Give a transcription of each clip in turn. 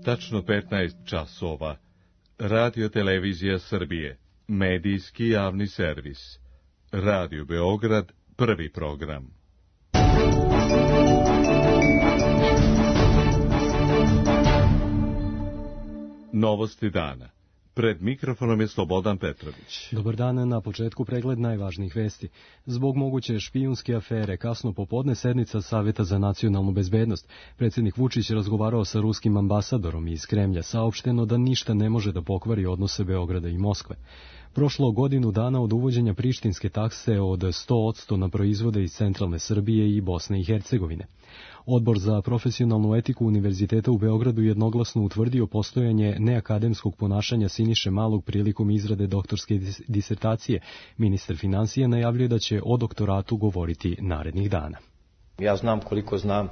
Tačno 15 časova. Radio Televizija Srbije. Medijski javni servis. Radio Beograd, prvi program. Novosti dana. Pred mikrofonom je Slobodan Petrović. Dobar dan, na početku pregled najvažnijih vesti. Zbog moguće špijunske afere, kasno popodne sednica Saveta za nacionalnu bezbednost. Predsjednik Vučić razgovarao sa ruskim ambasadorom iz Kremlja, saopšteno da ništa ne može da pokvari odnose Beograda i Moskve. Prošlo godinu dana od uvođenja prištinske takse od 100% na proizvode iz centralne Srbije i Bosne i Hercegovine. Odbor za profesionalnu etiku Univerziteta u Beogradu jednoglasno utvrdio postojanje neakademskog ponašanja Siniše Malog prilikom izrade doktorske disertacije. Ministar financija najavljuje da će o doktoratu govoriti narednih dana. Ja znam koliko znam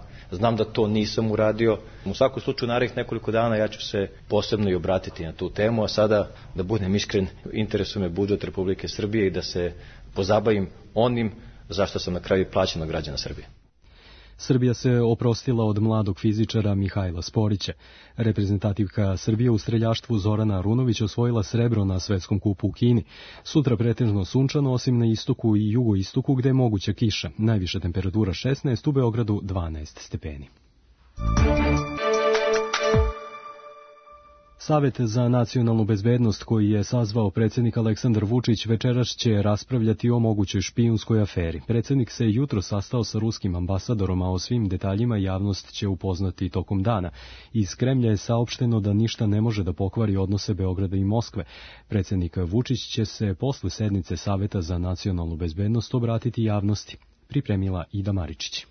da to nisam uradio. U svakom slučaju narednih nekoliko dana ja ću se posebno i obratiti na tu temu, a sada, da budem iskren, interesuje me budžet Republike Srbije i da se pozabavim onim zašto sam na kraju plaćen od građana Srbije. Srbija se oprostila od mladog fizičara Mihajla Sporića. Reprezentativka Srbije u streljaštvu Zorana Arunović osvojila srebro na svetskom kupu u Kini. Sutra pretežno sunčano, osim na istoku i jugoistoku gde je moguća kiša. Najviša temperatura 16, u Beogradu 12 stepeni. Savet za nacionalnu bezbednost koji je sazvao predsjednik Aleksandar Vučić večeras će raspravljati o mogućoj špijunskoj aferi. Predsjednik se jutro sastao sa ruskim ambasadorom, a o svim detaljima javnost će upoznati tokom dana. Iz Kremlja je saopšteno da ništa ne može da pokvari odnose Beograda i Moskve. Predsjednik Vučić će se posle sednice Saveta za nacionalnu bezbednost obratiti javnosti. Pripremila Ida Maričić.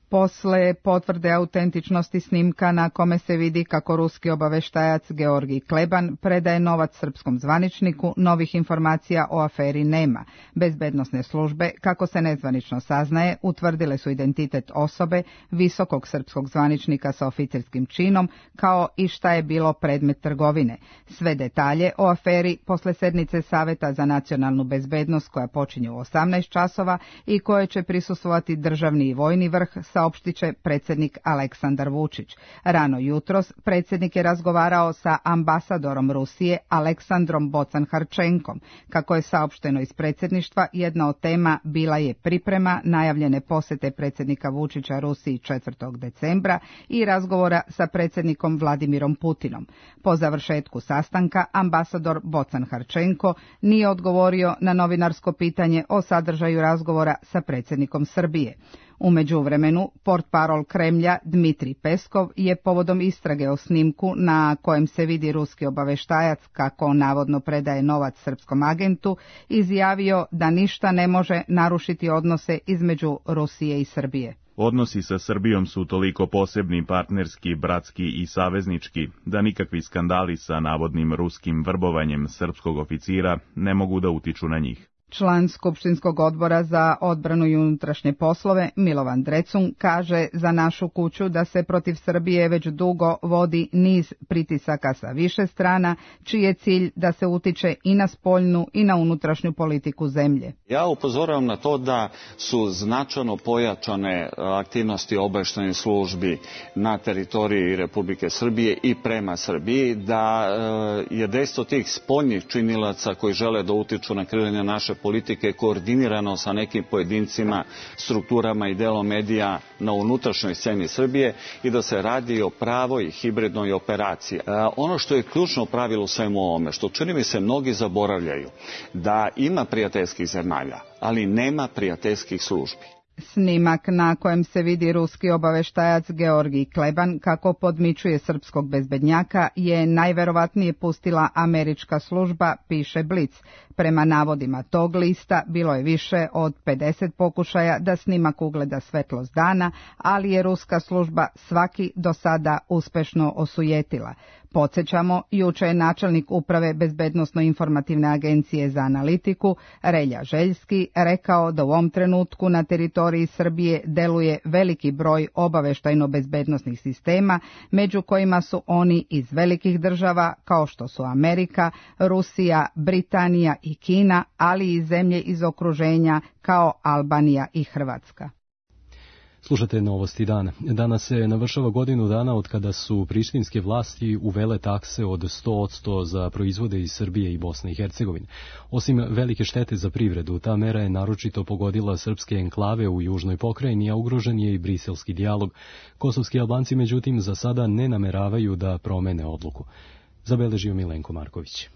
Posle potvrde autentičnosti snimka na kome se vidi kako ruski obaveštajac Georgij Kleban predaje novac srpskom zvaničniku, novih informacija o aferi nema. Bezbednosne službe, kako se nezvanično saznaje, utvrdile su identitet osobe, visokog srpskog zvaničnika sa oficerskim činom, kao i šta je bilo predmet trgovine. Sve detalje o aferi posle sednice Saveta za nacionalnu bezbednost koja počinje u 18 časova i koje će prisustvovati državni i vojni vrh, saopštit će predsjednik Aleksandar Vučić. Rano jutros predsjednik je razgovarao sa ambasadorom Rusije Aleksandrom Bocan-Harčenkom. Kako je saopšteno iz predsjedništva, jedna od tema bila je priprema najavljene posete predsjednika Vučića Rusiji 4. decembra i razgovora sa predsjednikom Vladimirom Putinom. Po završetku sastanka ambasador Bocan-Harčenko nije odgovorio na novinarsko pitanje o sadržaju razgovora sa predsjednikom Srbije. U međuvremenu, portparol Kremlja Dmitrij Peskov je povodom istrage o snimku na kojem se vidi ruski obaveštajac kako navodno predaje novac srpskom agentu, izjavio da ništa ne može narušiti odnose između Rusije i Srbije. Odnosi sa Srbijom su toliko posebni, partnerski, bratski i saveznički, da nikakvi skandali sa navodnim ruskim vrbovanjem srpskog oficira ne mogu da utiču na njih. Član Skupštinskog odbora za odbranu i unutrašnje poslove Milovan Drecun kaže za našu kuću da se protiv Srbije već dugo vodi niz pritisaka sa više strana, čiji je cilj da se utiče i na spoljnu i na unutrašnju politiku zemlje. Ja upozoravam na to da su značajno pojačane aktivnosti obavještajnih službi na teritoriji Republike Srbije i prema Srbiji, da je dejstvo tih spoljnih činilaca koji žele da utiču na kreiranje naše politike koordinirano sa nekim pojedincima, strukturama i delom medija na unutrašnjoj sceni Srbije i da se radi o pravoj hibridnoj operaciji. Ono što je ključno pravilo u svemu ovome, što čini mi se mnogi zaboravljaju, da ima prijateljskih zemalja, ali nema prijateljskih službi. Snimak na kojem se vidi ruski obaveštajac Georgij Kleban kako podmićuje srpskog bezbednjaka je najverovatnije pustila američka služba, piše Blic. Prema navodima tog lista bilo je više od 50 pokušaja da snimak ugleda svetlost dana, ali je ruska služba svaki do sada uspešno osujetila. Podsjećamo, juče je načelnik uprave Bezbednosno-informativne agencije za analitiku, Relja Željski, rekao da u ovom trenutku na teritoriji Srbije deluje veliki broj obaveštajno-bezbednosnih sistema, među kojima su oni iz velikih država kao što su Amerika, Rusija, Britanija i Kina, ali i zemlje iz okruženja kao Albanija i Hrvatska. Slušate Novosti dana. Danas se navršava godinu dana od kada su prištinske vlasti uvele takse od 100% za proizvode iz Srbije i Bosne i Hercegovine. Osim velike štete za privredu, ta mera je naročito pogodila srpske enklave u južnoj pokrajini, a ugrožen je i briselski dijalog. Kosovski Albanci, međutim, za sada ne nameravaju da promene odluku. Zabeležio Milenko Marković.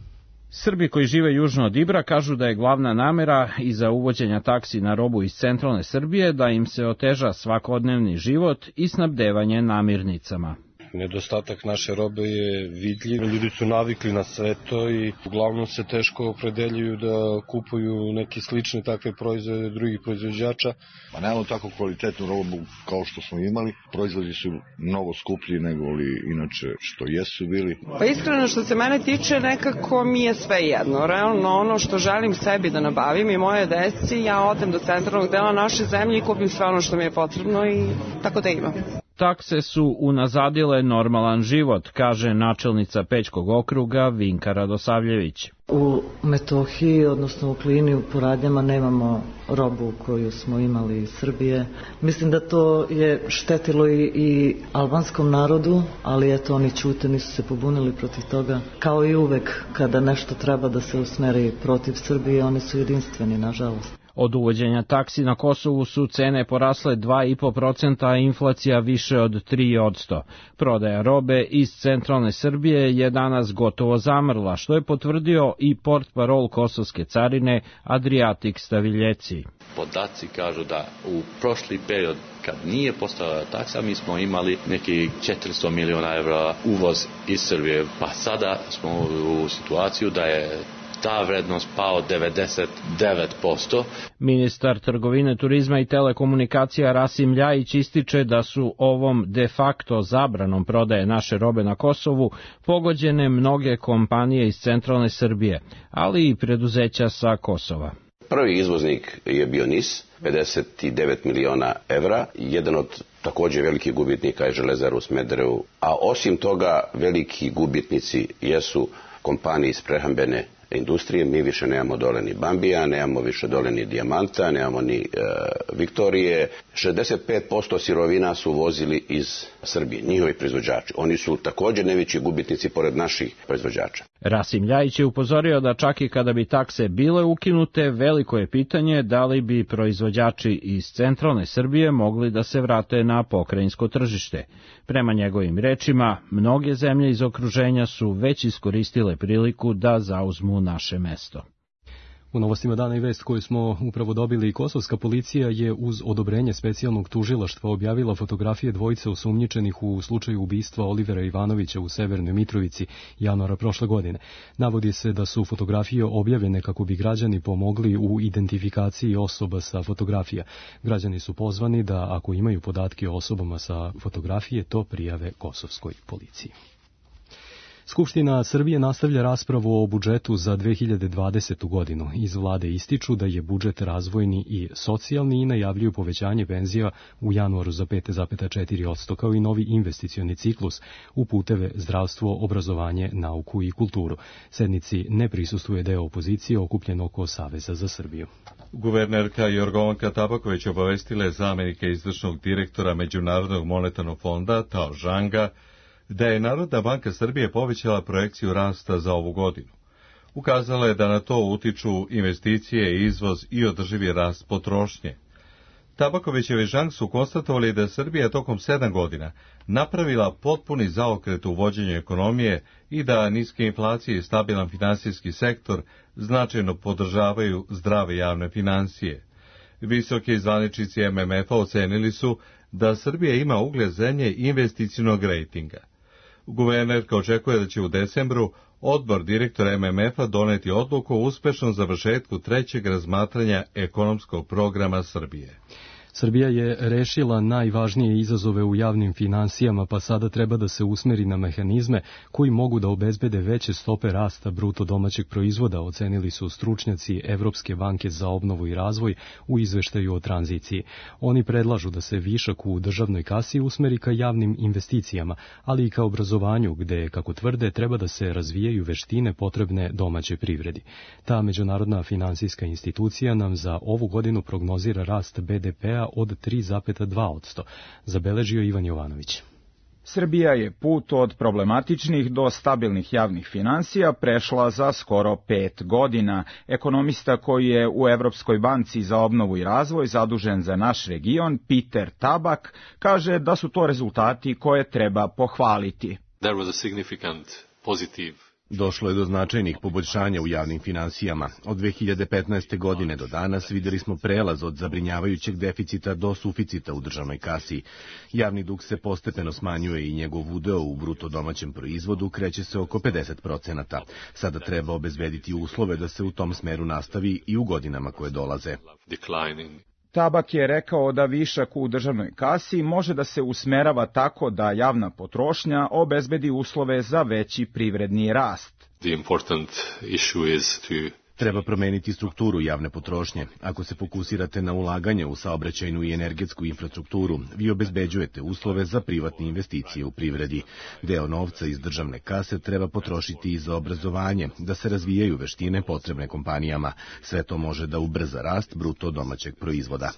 Srbi koji žive južno od Ibra kažu da je glavna namera iza uvođenja taksi na robu iz centralne Srbije da im se oteža svakodnevni život i snabdevanje namirnicama. Nedostatak naše robe je vidljiv. Ljudi su navikli na sve to i uglavnom se teško opredeljuju da kupuju neke slične takve proizvode drugih proizvođača. Pa nemamo tako kvalitetnu robu kao što smo imali. Proizvodi su mnogo skuplji nego li inače što jesu bili. Pa iskreno što se mene tiče nekako mi je sve jedno. Realno ono što želim sebi da nabavim i moje deci, ja odem do centralnog dela naše zemlje i kupim sve ono što mi je potrebno i tako da imam. Takse su unazadile normalan život, kaže načelnica Pećkog okruga Vinka Radosavljević. U Metohiji, odnosno u Klini, u Poradnjama nemamo robu koju smo imali iz Srbije. Mislim da to je štetilo i albanskom narodu, ali eto oni ćute, nisu se pobunili protiv toga. Kao i uvek kada nešto treba da se usmeri protiv Srbije, oni su jedinstveni, nažalost. Od uvođenja taksi na Kosovu su cene porasle 2,5%, a inflacija više od 3%. Prodaja robe iz centralne Srbije je danas gotovo zamrla, što je potvrdio i portparol kosovske carine Adriatik Staviljeci. Podaci kažu da u prošli period, kad nije postojala taksa, mi smo imali neki 400 miliona evra uvoz iz Srbije, pa sada smo u situaciju da je ta vrednost pao 99%. Ministar trgovine, turizma i telekomunikacija Rasim Ljajić ističe da su ovom de facto zabranom prodaje naše robe na Kosovu pogođene mnoge kompanije iz centralne Srbije, ali i preduzeća sa Kosova. Prvi izvoznik je bio NIS, 59 miliona evra, jedan od također velikih gubitnika je Železara u Smederevu, a osim toga veliki gubitnici jesu kompanije iz prehrambene industrije. Mi više nemamo dole ni Bambija, nemamo više dole ni Dijamanta, nemamo ni Viktorije. 65% sirovina su vozili iz Srbije, njihovi proizvođači. Oni su također najveći gubitnici pored naših proizvođača. Rasim Ljajić je upozorio da čak i kada bi takse bile ukinute, veliko je pitanje da li bi proizvođači iz centralne Srbije mogli da se vrate na pokrajinsko tržište. Prema njegovim rečima, mnoge zemlje iz okruženja su već iskoristile priliku da zauzmu naše mesto. U novostima dana i vest koju smo upravo dobili, kosovska policija je uz odobrenje specijalnog tužilaštva objavila fotografije dvojice osumnjičenih u slučaju ubistva Olivera Ivanovića u Severnoj Mitrovici januara prošle godine. Navodi se da su fotografije objavljene kako bi građani pomogli u identifikaciji osoba sa fotografija. Građani su pozvani da ako imaju podatke o osobama sa fotografije, to prijave kosovskoj policiji. Skupština Srbije nastavlja raspravu o budžetu za 2020. godinu. Iz vlade ističu da je budžet razvojni i socijalni i najavljuju povećanje penzija u januaru za 5,4%, kao i novi investicioni ciklus u puteve, zdravstvo, obrazovanje, nauku i kulturu. Sednici ne prisustvuje deo opozicije okupljen oko Saveza za Srbiju. Guvernerka Jorgovanka Tabaković obavestila je zamenika izvršnog direktora Međunarodnog monetarnog fonda Tao Žanga da je Narodna banka Srbije povećala projekciju rasta za ovu godinu. Ukazala je da na to utiču investicije, izvoz i održivi rast potrošnje. Tabakovićevi Žang su konstatovali da Srbija tokom 7 godina napravila potpuni zaokret u vođenju ekonomije i da niske inflacije i stabilan finansijski sektor značajno podržavaju zdrave javne financije. Visoki zvaničnici MMF-a ocenili su da Srbija ima ugled zemlje investicionog rejtinga. Guvernerka očekuje da će u decembru odbor direktora MMF-a doneti odluku o uspešnom završetku trećeg razmatranja ekonomskog programa Srbije. Srbija je rešila najvažnije izazove u javnim finansijama, pa sada treba da se usmeri na mehanizme koji mogu da obezbede veće stope rasta bruto domaćeg proizvoda, ocenili su stručnjaci Evropske banke za obnovu i razvoj u izveštaju o tranziciji. Oni predlažu da se višak u državnoj kasi usmeri ka javnim investicijama, ali i ka obrazovanju, gde, kako tvrde, treba da se razvijaju veštine potrebne domaćoj privredi. Ta međunarodna finansijska institucija nam za ovu godinu prognozira rast BDP-a BDP-a od 3,2%, zabeležio Ivan Jovanović. Srbija je put od problematičnih do stabilnih javnih finansija prešla za skoro 5 godina. Ekonomista koji je u Evropskoj banci za obnovu i razvoj zadužen za naš region, Peter Tabak, kaže da su to rezultati koje treba pohvaliti. There was a significant positive. Došlo je do značajnih poboljšanja u javnim finansijama. Od 2015. godine do danas vidjeli smo prelaz od zabrinjavajućeg deficita do suficita u državnoj kasi. Javni dug se postepeno smanjuje i njegov udeo u bruto domaćem proizvodu kreće se oko 50%. Sada treba obezbediti uslove da se u tom smeru nastavi i u godinama koje dolaze. Tabak je rekao da višak u državnoj kasi može da se usmerava tako da javna potrošnja obezbedi uslove za veći privredni rast. Treba promeniti strukturu javne potrošnje. Ako se fokusirate na ulaganje u saobraćajnu i energetsku infrastrukturu, vi obezbeđujete uslove za privatne investicije u privredi. Deo novca iz državne kase treba potrošiti i za obrazovanje, da se razvijaju veštine potrebne kompanijama. Sve to može da ubrza rast bruto domaćeg proizvoda.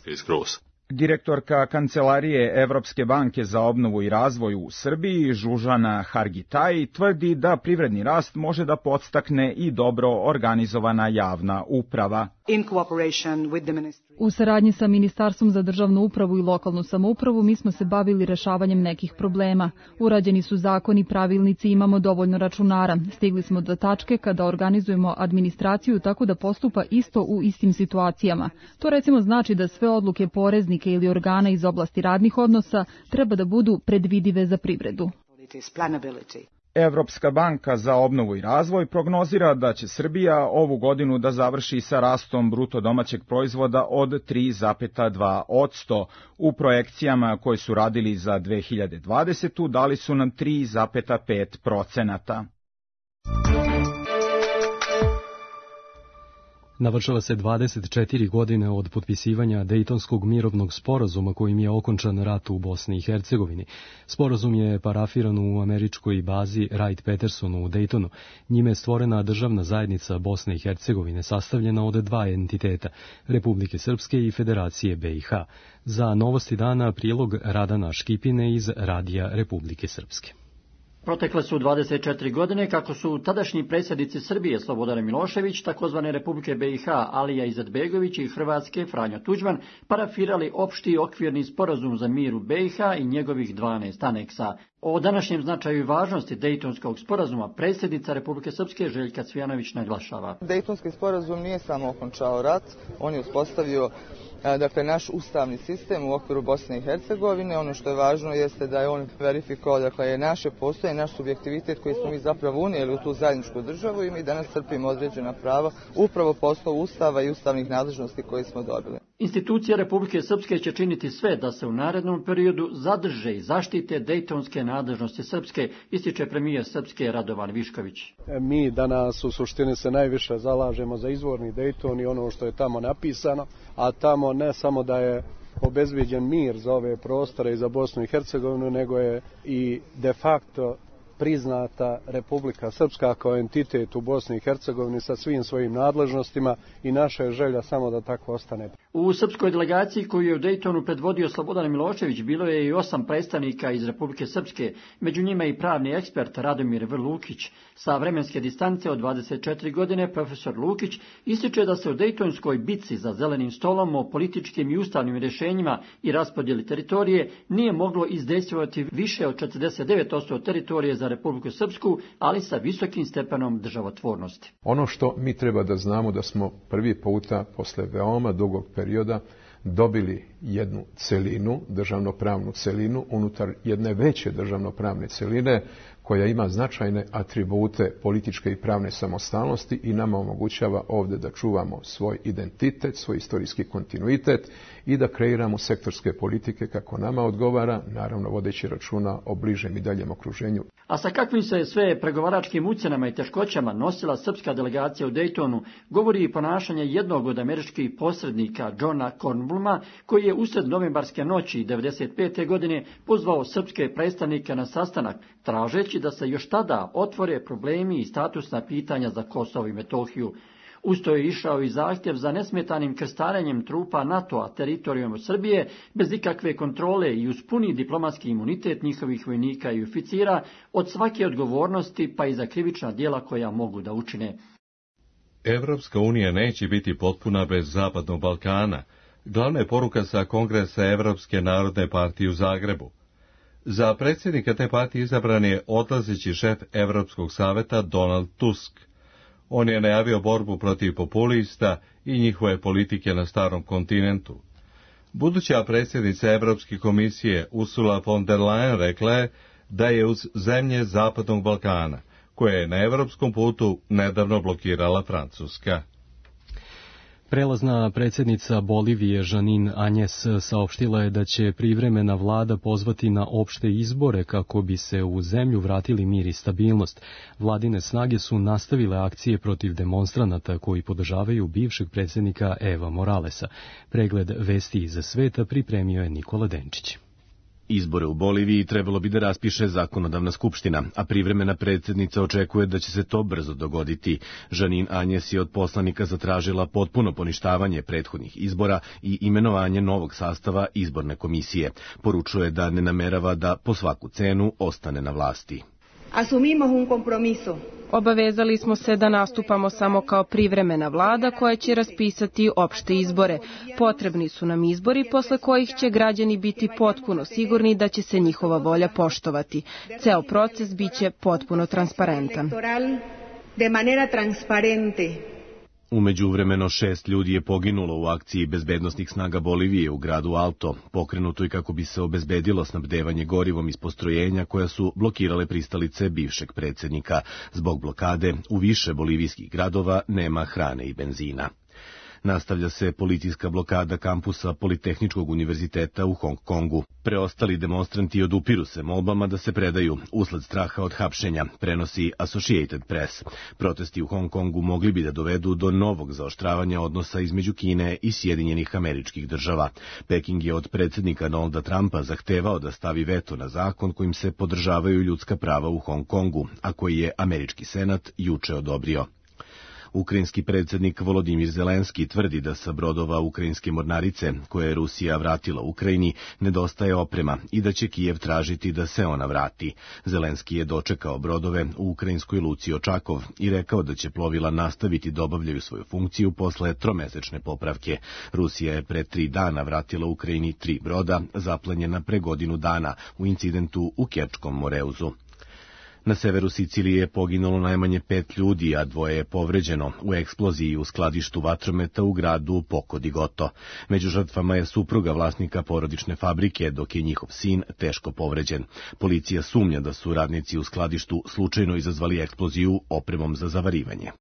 Direktorka Kancelarije Evropske banke za obnovu i razvoj u Srbiji, Žužana Hargitaj, tvrdi da privredni rast može da podstakne i dobro organizovana javna uprava. U saradnji sa Ministarstvom za državnu upravu i lokalnu samoupravu mi smo se bavili rešavanjem nekih problema. Urađeni su zakoni, pravilnici, imamo dovoljno računara. Stigli smo do tačke kada organizujemo administraciju tako da postupa isto u istim situacijama. To recimo znači da sve odluke poreznike ili organa iz oblasti radnih odnosa treba da budu predvidive za privredu. Evropska banka za obnovu i razvoj prognozira da će Srbija ovu godinu da završi sa rastom bruto domaćeg proizvoda od 3,2%. U projekcijama koje su radili za 2020. dali su nam 3,5%. Navršava se 24 godine od potpisivanja Dejtonskog mirovnog sporazuma kojim je okončan rat u Bosni i Hercegovini. Sporazum je parafiran u američkoj bazi Wright-Pattersonu u Dejtonu. Njime je stvorena državna zajednica Bosne i Hercegovine sastavljena od dva entiteta, Republike Srpske i Federacije BiH. Za novosti dana prilog Radana Škipine iz Radija Republike Srpske. Protekle su 24 godine kako su tadašnji predsjednici Srbije Slobodan Milošević, takozvane Republike BiH Alija Izetbegović i Hrvatske Franjo Tuđman parafirali opšti okvirni sporazum za mir u BiH i njegovih 12 aneksa. O današnjem značaju i važnosti Dejtonskog sporazuma predsjednica Republike Srpske Željka Cvijanović naglašava. Dejtonski sporazum nije samo okončao rat, on je uspostavio naš ustavni sistem u okviru Bosne i Hercegovine. Ono što je važno jeste da je on verifikovao je naše postojanje, naš subjektivitet koji smo mi zapravo unijeli u tu zajedničku državu i mi danas crpimo određena prava upravo po osnovu ustava i ustavnih nadležnosti koje smo dobili. Institucije Republike Srpske će činiti sve da se u narednom periodu zadrže i zaštite dejtonske nadležnosti Srpske, ističe premijer Srpske Radovan Višković. Mi danas u suštini se najviše zalažemo za izvorni Dejton i ono što je tamo napisano, a tamo ne samo da je obezbeđen mir za ove prostore i za Bosnu i Hercegovinu, nego je i de facto priznata Republika Srpska kao entitet u Bosni i Hercegovini sa svim svojim nadležnostima i naša je želja samo da tako ostane. U srpskoj delegaciji koju je u Dejtonu predvodio Slobodan Milošević bilo je i 8 predstavnika iz Republike Srpske, među njima i pravni ekspert Radomir V. Lukić. Sa vremenske distance od 24 godine profesor Lukić ističe da se u Dejtonskoj bitci za zelenim stolom o političkim i ustavnim rješenjima i raspodjeli teritorije nije moglo izdejstvovati više od 49% teritorije za Republiku Srpsku, ali sa visokim stepenom državotvornosti. Ono što mi treba da znamo da smo prvi puta posle veoma dugog perioda dobili jednu celinu, državnopravnu celinu, unutar jedne veće državnopravne celine koja ima značajne atribute političke i pravne samostalnosti i nama omogućava ovdje da čuvamo svoj identitet, svoj istorijski kontinuitet i da kreiramo sektorske politike kako nama odgovara, naravno vodeći računa o bližem i daljem okruženju. A sa kakvim se sve pregovaračkim ucjenama i teškoćama nosila srpska delegacija u Dejtonu, govori i ponašanje jednog od američkih posrednika, Johna Kornbluma, koji je usred novembarske noći 1995. godine pozvao srpske predstavnike na sastanak, tražeći da se još tada otvore problemi i statusna pitanja za Kosovo i Metohiju. Usto je išao i zahtjev za nesmetanim krstarenjem trupa NATO-a teritorijom Srbije bez ikakve kontrole i uz puni diplomatski imunitet njihovih vojnika i oficira od svake odgovornosti pa i za krivična djela koja mogu da učine. Evropska unija neće biti potpuna bez Zapadnog Balkana. Glavna je poruka sa kongresa Evropske narodne partije u Zagrebu. Za predsjednika te partije izabran je odlazeći šef Evropskog saveta Donald Tusk. On je najavio borbu protiv populista i njihove politike na starom kontinentu. Buduća predsjednica Evropske komisije Ursula von der Leyen rekla je da je uz zemlje Zapadnog Balkana, koje je na evropskom putu nedavno blokirala Francuska. Prelazna predsjednica Bolivije Janine Áñez saopštila je da će privremena vlada pozvati na opšte izbore kako bi se u zemlju vratili mir i stabilnost. Vladine snage su nastavile akcije protiv demonstranata koji podržavaju bivšeg predsjednika Eva Moralesa. Pregled vesti iz sveta pripremio je Nikola Denčić. Izbore u Boliviji trebalo bi da raspiše zakonodavna skupština, a privremena predsjednica očekuje da će se to brzo dogoditi. Janine Áñez je od poslanika zatražila potpuno poništavanje prethodnih izbora i imenovanje novog sastava izborne komisije. Poručuje da ne namerava da po svaku cenu ostane na vlasti. Asumimos un compromiso. Obavezali smo se da nastupamo samo kao privremena vlada koja će raspisati opšte izbore. Potrebni su nam izbori posle kojih će građani biti potpuno sigurni da će se njihova volja poštovati. Ceo proces biće potpuno transparentan. De manera transparente. Umeđuvremeno 6 ljudi je poginulo u akciji bezbednosnih snaga Bolivije u gradu Alto, pokrenutoj kako bi se obezbedilo snabdevanje gorivom iz postrojenja koja su blokirale pristalice bivšeg predsjednika. Zbog blokade u više bolivijskih gradova nema hrane i benzina. Nastavlja se policijska blokada kampusa Politehničkog univerziteta u Hong Kongu. Preostali demonstranti odupiru se molbama da se predaju usled straha od hapšenja, prenosi Associated Press. Protesti u Hong Kongu mogli bi da dovedu do novog zaoštravanja odnosa između Kine i Sjedinjenih Američkih Država. Peking je od predsjednika Donalda Trumpa zahtevao da stavi veto na zakon kojim se podržavaju ljudska prava u Hong Kongu, a koji je američki senat juče odobrio. Ukrajinski predsjednik Volodimir Zelenski tvrdi da sa brodova ukrajinske mornarice, koje je Rusija vratila Ukrajini, nedostaje oprema i da će Kijev tražiti da se ona vrati. Zelenski je dočekao brodove u ukrajinskoj luci Očakov i rekao da će plovila nastaviti da obavljaju svoju funkciju posle tromesečne popravke. Rusija je pre 3 dana vratila Ukrajini 3 broda, zaplenjena pre godinu dana u incidentu u Kerčkom Moreuzu. Na severu Sicilije je poginulo najmanje 5 ljudi, a 2 je povređeno u eksploziji u skladištu vatrometa u gradu Poco di Gotto. Među žrtvama je supruga vlasnika porodične fabrike, dok je njihov sin teško povređen. Policija sumnja da su radnici u skladištu slučajno izazvali eksploziju opremom za zavarivanje.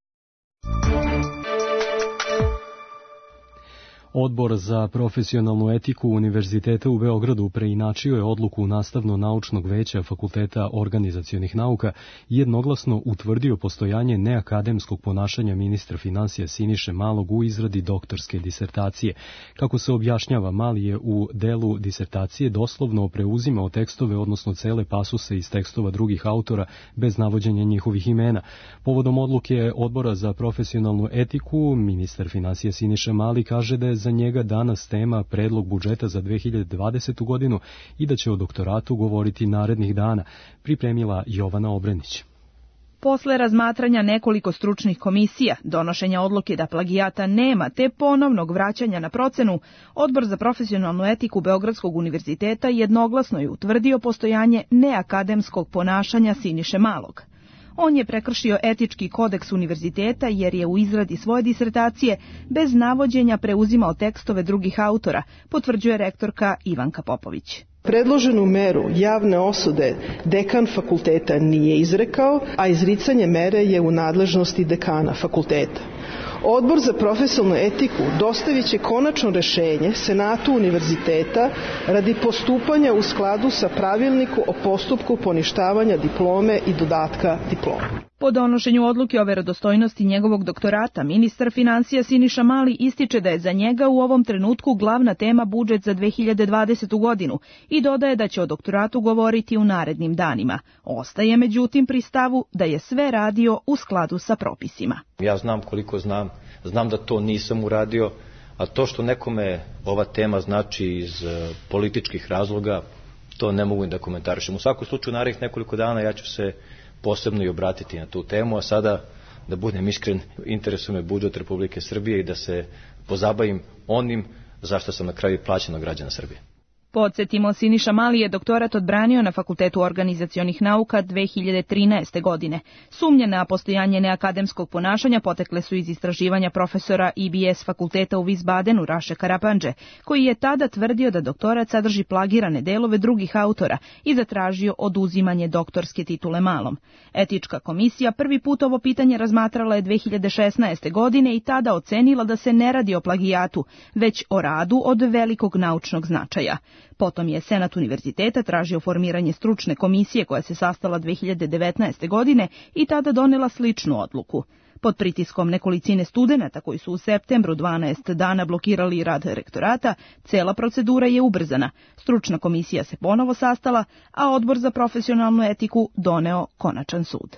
Odbor za profesionalnu etiku Univerziteta u Beogradu preinačio je odluku Nastavno-naučnog veća Fakulteta organizacionih nauka i jednoglasno utvrdio postojanje neakademskog ponašanja ministra finansija Siniše Malog u izradi doktorske disertacije. Kako se objašnjava, Mali je u delu disertacije doslovno preuzimao tekstove, odnosno cele pasuse iz tekstova drugih autora bez navođenja njihovih imena. Povodom odluke Odbora za profesionalnu etiku, ministar finansija Siniša Mali kaže da je za njega danas tema predlog budžeta za 2020. godinu i da će o doktoratu govoriti narednih dana, pripremila Jovana Obrenić. Posle razmatranja nekoliko stručnih komisija, donošenja odluke da plagijata nema te ponovnog vraćanja na procenu, Odbor za profesionalnu etiku Beogradskog univerziteta jednoglasno je utvrdio postojanje neakademskog ponašanja Siniše Malog. On je prekršio etički kodeks univerziteta jer je u izradi svoje disertacije bez navođenja preuzimao tekstove drugih autora, potvrđuje rektorka Ivanka Popović. Predloženu meru javne osude dekan fakulteta nije izrekao, a izricanje mere je u nadležnosti dekana fakulteta. Odbor za profesionalnu etiku dostavit će konačno rešenje Senatu univerziteta radi postupanja u skladu sa pravilniku o postupku poništavanja diplome i dodatka diplome. Po donošenju odluke o verodostojnosti njegovog doktorata, ministar finansija Siniša Mali ističe da je za njega u ovom trenutku glavna tema budžet za 2020. godinu i dodaje da će o doktoratu govoriti u narednim danima. Ostaje međutim pri stavu da je sve radio u skladu sa propisima. Ja znam koliko znam da to nisam uradio, a to što nekome ova tema znači iz političkih razloga, to ne mogu da komentarišem. U svakom slučaju, narednih nekoliko dana ja ću se posebno i obratiti na tu temu, a sada, da budem iskren, interesuje me budžet Republike Srbije i da se pozabavim onim zašto sam na kraju plaćen od građana Srbije. Podsjetimo, Siniša Mali je doktorat odbranio na Fakultetu organizacionih nauka 2013. godine. Sumnje na postojanje neakademskog ponašanja potekle su iz istraživanja profesora IBS fakulteta u Wiesbadenu Raše Karapandže, koji je tada tvrdio da doktorat sadrži plagirane delove drugih autora i zatražio oduzimanje doktorske titule Malom. Etička komisija prvi put ovo pitanje razmatrala je 2016. godine i tada ocenila da se ne radi o plagijatu, već o radu od velikog naučnog značaja. Potom je Senat univerziteta tražio formiranje stručne komisije koja se sastala 2019. godine i tada donela sličnu odluku. Pod pritiskom nekolicine studenata koji su u septembru 12 dana blokirali rad rektorata, cela procedura je ubrzana. Stručna komisija se ponovo sastala, a Odbor za profesionalnu etiku doneo konačan sud.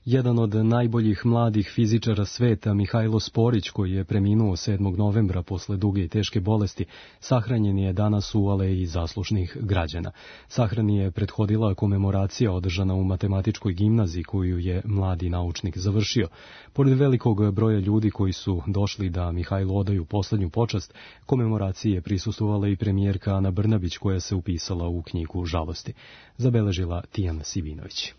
Jedan od najboljih mladih fizičara sveta, Mihajlo Sporić, koji je preminuo 7. novembra posle duge i teške bolesti, sahranjen je danas u aleji zaslušnih građana. Sahrani je prethodila komemoracija održana u matematičkoj gimnaziji koju je mladi naučnik završio. Pored velikog broja ljudi koji su došli da Mihajlu odaju poslednju počast, komemoraciji je prisustvovala i premijerka Ana Brnabić koja se upisala u knjigu žalosti. Zabeležila Tijana Sivinović.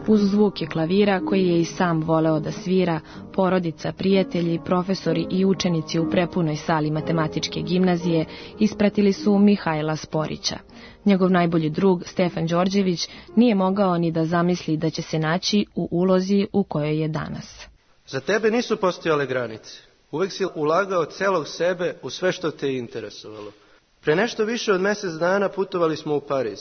Uz zvuke klavira, koji je i sam voleo da svira, porodica, prijatelji, profesori i učenici u prepunoj sali matematičke gimnazije ispratili su Mihajla Sporića. Njegov najbolji drug, Stefan Đorđević, nije mogao ni da zamisli da će se naći u ulozi u kojoj je danas. Za tebe nisu postojale granice. Uvek si ulagao celog sebe u sve što te je interesovalo. Pre nešto više od mesec dana putovali smo u Pariz.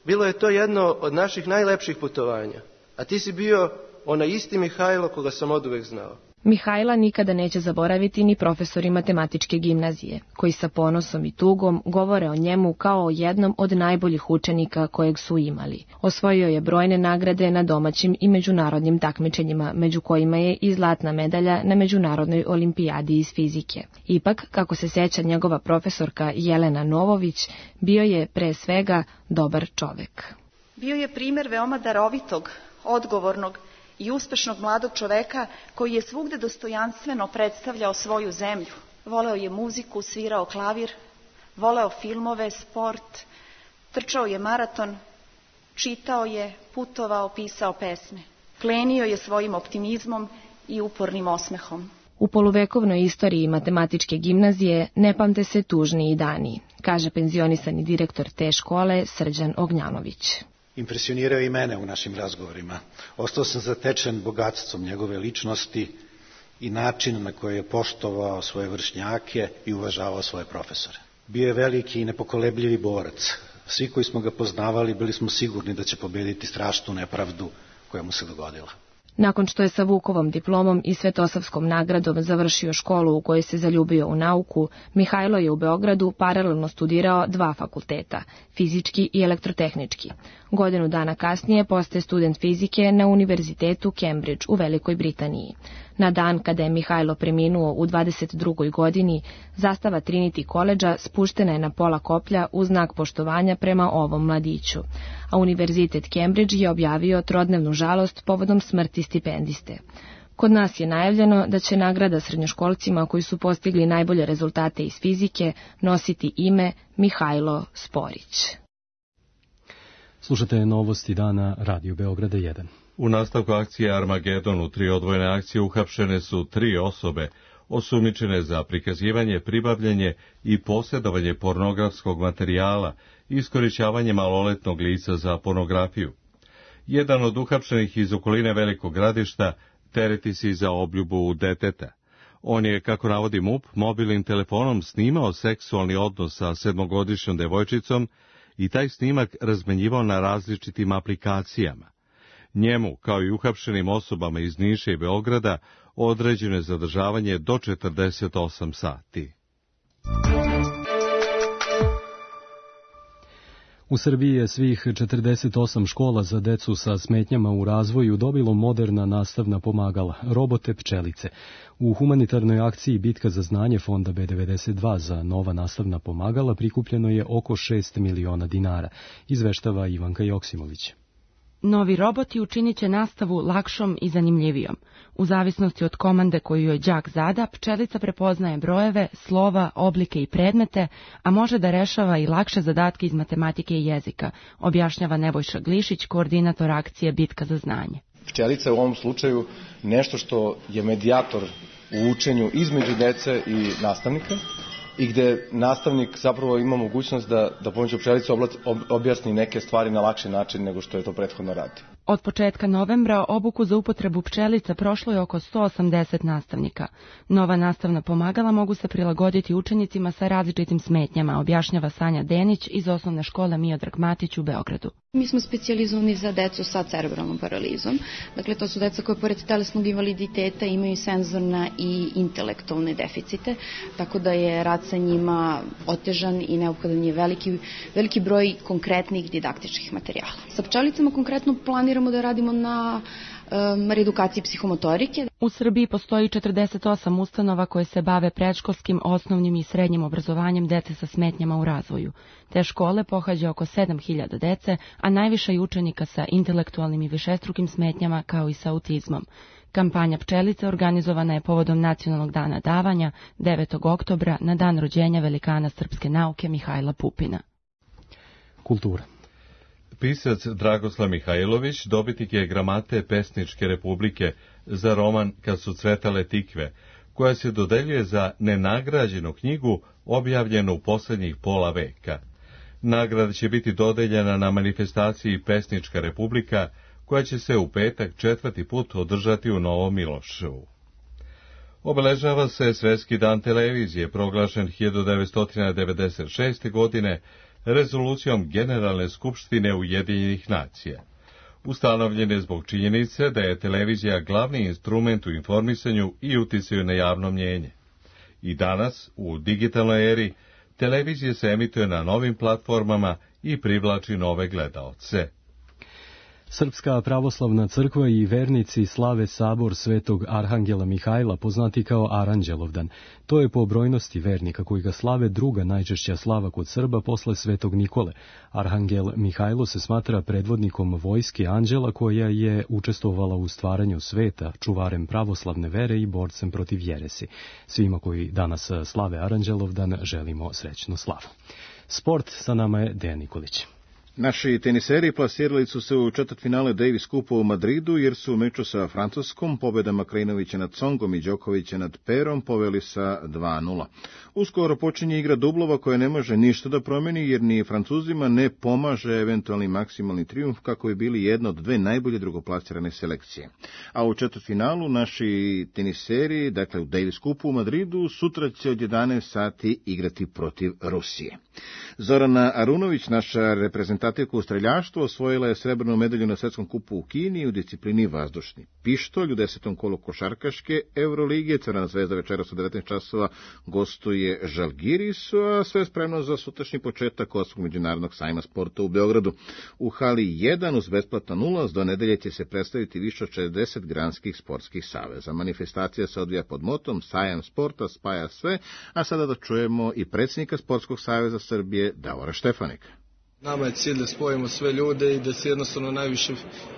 Bilo je to jedno od naših najlepših putovanja. A ti si bio onaj isti Mihajlo koga sam oduvek znao. Mihajla nikada neće zaboraviti ni profesori matematičke gimnazije, koji sa ponosom i tugom govore o njemu kao o jednom od najboljih učenika kojeg su imali. Osvojio je brojne nagrade na domaćim i međunarodnim takmičenjima, među kojima je i zlatna medalja na Međunarodnoj olimpijadi iz fizike. Ipak, kako se seća njegova profesorka Jelena Novović, bio je pre svega dobar čovek. Bio je primer veoma darovitog, odgovornog i uspešnog mladog čoveka koji je svugde dostojanstveno predstavljao svoju zemlju. Voleo je muziku, svirao klavir, voleo filmove, sport, trčao je maraton, čitao je, putovao, pisao pesme. Plenio je svojim optimizmom i upornim osmehom. U poluvekovnoj istoriji matematičke gimnazije ne pamte se tužniji dani, kaže penzionisani direktor te škole Srđan Ognjanović. Impresionirao i mene u našim razgovorima. Ostao sam zatečen bogatstvom njegove ličnosti i način na koji je poštovao svoje vršnjake i uvažavao svoje profesore. Bio je veliki i nepokolebljivi borac. Svi koji smo ga poznavali bili smo sigurni da će pobediti strašnu nepravdu koja mu se dogodila. Nakon što je sa Vukovom diplomom i Svetosavskom nagradom završio školu u kojoj se zaljubio u nauku, Mihajlo je u Beogradu paralelno studirao 2 fakulteta, fizički i elektrotehnički. Godinu dana kasnije postaje student fizike na Univerzitetu Cambridge u Velikoj Britaniji. Na dan kada je Mihajlo preminuo u 22. godini, zastava Trinity College-a spuštena je na pola koplja u znak poštovanja prema ovom mladiću, a Univerzitet Cambridge je objavio trodnevnu žalost povodom smrti stipendiste. Kod nas je najavljeno da će nagrada srednjoškolcima koji su postigli najbolje rezultate iz fizike nositi ime Mihajlo Sporić. Slušate novosti dana Radio Beograda 1. U nastavku akcije Armagedon u 3 odvojene akcije uhapšene su 3 osobe osumnjičene za prikazivanje, pribavljanje i posjedovanje pornografskog materijala i iskorišćavanje maloletnog lica za pornografiju. Jedan od uhapšenih iz okoline Velikog Gradišta tereti se za obljubu deteta. On je, kako navodi MUP, mobilnim telefonom snimao seksualni odnos sa 7-godišnjom devojčicom i taj snimak razmenjivao na različitim aplikacijama. Njemu, kao i uhapšenim osobama iz Niša i Beograda, određeno je zadržavanje do 48 sati. U Srbiji je svih 48 škola za decu sa smetnjama u razvoju dobilo moderna nastavna pomagala, robote pčelice. U humanitarnoj akciji Bitka za znanje fonda B92 za nova nastavna pomagala prikupljeno je oko 6 miliona dinara, izveštava Ivanka Joksimović. Novi roboti učinit će nastavu lakšom i zanimljivijom. U zavisnosti od komande koju joj đak zada, pčelica prepoznaje brojeve, slova, oblike i predmete, a može da rešava i lakše zadatke iz matematike i jezika, objašnjava Nebojša Glišić, koordinator akcije Bitka za znanje. Pčelica je u ovom slučaju nešto što je medijator u učenju između dece i nastavnika, i gde nastavnik zapravo ima mogućnost da pomoću pčelice objasni neke stvari na lakši način nego što je to prethodno radio. Od početka novembra obuku za upotrebu pčelica prošlo je oko 180 nastavnika. Nova nastavna pomagala mogu se prilagoditi učenicima sa različitim smetnjama, objašnjava Sanja Denić iz osnovne škole Miodrag Matić u Beogradu. Mi smo specijalizovani za decu sa cerebralnom paralizom. Dakle, to su deca koje pored telesnog invaliditeta imaju senzorna i intelektualne deficite, tako da je rad sa njima otežan i neophodan je veliki broj konkretnih didaktičkih materijala. Sa pčelicama konkretno planiramo da radimo na reedukaciji psihomotorike. U Srbiji postoji 48 ustanova koje se bave predškolskim, osnovnim i srednjim obrazovanjem dece sa smetnjama u razvoju. Te škole pohađa oko 7000 dece, a najviše je učenika sa intelektualnim i višestrukim smetnjama kao i sa autizmom. Kampanja Pčelice organizovana je povodom Nacionalnog dana davanja 9. oktobra na dan rođenja velikana srpske nauke Mihajla Pupina. Kultura. Pisac Dragoslav Mihajlović dobitnik je Gramate Pesničke republike za roman Kad su cvetale tikve, koja se dodeljuje za nenagrađenu knjigu objavljenu u posljednjih pola veka. Nagrada će biti dodeljena na manifestaciji Pesnička republika, koja će se u petak 4. put održati u Novom Miloševu. Obeležava se Svetski dan televizije, proglašen 1996. godine, rezolucijom Generalne skupštine Ujedinjenih nacija. Ustanovljen je zbog činjenice da je televizija glavni instrument u informisanju i uticaju na javno mnjenje. I danas, u digitalnoj eri, televizija se emituje na novim platformama i privlači nove gledaoce. Srpska pravoslavna crkva i vernici slave sabor Svetog Arhangela Mihajla, poznati kao Aranđelovdan. To je po brojnosti vernika koji ga slave druga najčešća slava kod Srba posle Svetog Nikole. Arhangel Mihajlo se smatra predvodnikom vojske anđela koja je učestvovala u stvaranju sveta, čuvarem pravoslavne vere i borcem protiv jeresi. Svima koji danas slave Aranđelovdan želimo srećnu slavu. Sport, sa nama je Dejan Nikolić. Naši teniseri plasirali su se u četvrtfinale Davis Cupa u Madridu, jer su u meču sa Francuskom pobedama Krajinovića nad Songom i Đokovića nad Perom poveli sa 2:0. Uskoro počinje igra dublova koja ne može ništa da promeni, jer ni Francuzima ne pomaže eventualni maksimalni trijumf kako bi bili jedna od dve najbolje drugoplasirane selekcije. A u četvrtfinalu naši teniseri, dakle u Davis Cupu u Madridu, sutra će od 11 sati igrati protiv Rusije. Zorana Arunović, naša reprezentativka u streljaštvu, osvojila je srebrnu medalju na svetskom kupu u Kini u disciplini vazdušni pištolj. U 10. kolu košarkaške Euroligije Crvena zvezda večeras u 19 časova gostuje Žalgirisu, a sve spremno za sutrašnji početak Osmog međunarodnog sajma sporta u Beogradu. U hali 1 uz besplatan ulaz do nedelje će se predstaviti više od 60 granskih sportskih saveza. Manifestacija se odvija pod motom Sajam sporta spaja sve, a sada da čujemo i predsjednika Sportskog saveza Srbije Davora Štefanika. Nama je cilj da spojimo sve ljude i da se jednostavno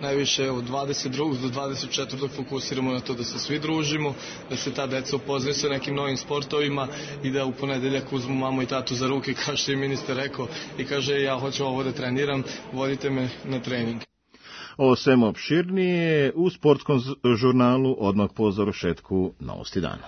najviše od 22. do 24. fokusiramo na to da se svi družimo, da se ta deca upoznaju sa nekim novim sportovima i da u ponedeljak uzmu mamu i tatu za ruke, kao što je ministar rekao, i kaže ja hoću ovo da treniram, vodite me na trening. Ovo svemu opširnije u sportskom žurnalu odmah po završetku Novosti dana.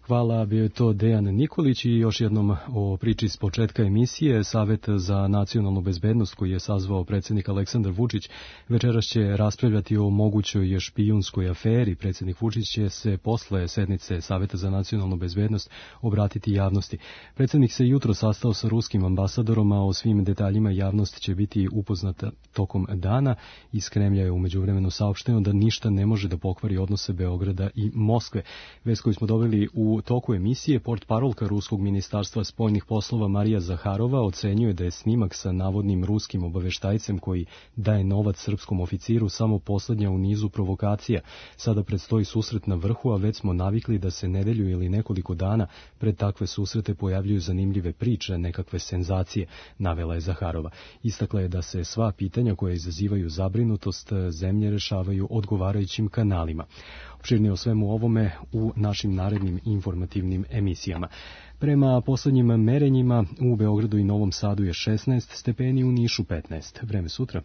Hvala, bio je to Dejan Nikolić i još jednom o priči s početka emisije. Savet za nacionalnu bezbednost koji je sazvao predsjednik Aleksandar Vučić večeras će raspravljati o mogućoj špijunskoj aferi. Predsjednik Vučić će se posle sednice Saveta za nacionalnu bezbednost obratiti javnosti. Predsjednik se jutro sastao sa ruskim ambasadorom, a o svim detaljima javnost će biti upoznata tokom dana. Iz Kremlja je umeđu vremenu saopšteno da ništa ne može da pokvari odnose Beograda i Moskve. Vest koju smo dobili u toku emisije, portparolka Ruskog ministarstva spoljnih poslova Marija Zaharova ocenjuje da je snimak sa navodnim ruskim obaveštajcem koji daje novac srpskom oficiru samo poslednja u nizu provokacija. Sada predstoji susret na vrhu, a već smo navikli da se nedelju ili nekoliko dana pred takve susrete pojavljuju zanimljive priče, nekakve senzacije, navela je Zaharova. Istakla je da se sva pitanja koja izazivaju zabrinutost zemlje rešavaju odgovarajućim kanalima. Opširnije o svemu ovome u našim narednim informativnim emisijama. Prema poslednjim merenjima u Beogradu i Novom Sadu je 16 stepeni, u Nišu 15. Vreme sutra.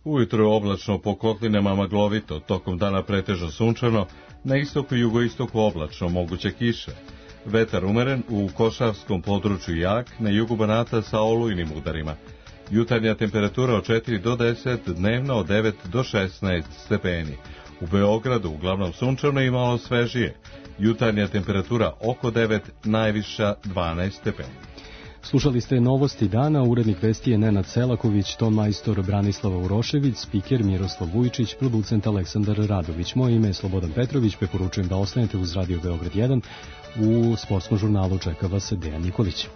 Ujutro je oblačno, po kotlinama maglovito, tokom dana pretežno sunčano, na istoku i jugoistoku oblačno, moguće kiše. Vetar umeren, u košavskom području jak, na jugu Banata sa olujnim udarima. Jutarnja temperatura od 4 do 10, dnevno od 9 do 16 stepeni. U Beogradu uglavnom sunčano i malo svežije. Jutarnja temperatura oko 9, najviša 12 stepeni. Slušali ste novosti dana, urednik vesti je Nenad Selaković, ton majstor Branislava Urošević, spiker Miroslav Vujčić, producent Aleksandar Radović. Moje ime je Slobodan Petrović, preporučujem da ostanete uz Radio Beograd 1. U sportskom žurnalu čeka vas Dejan Nikolić.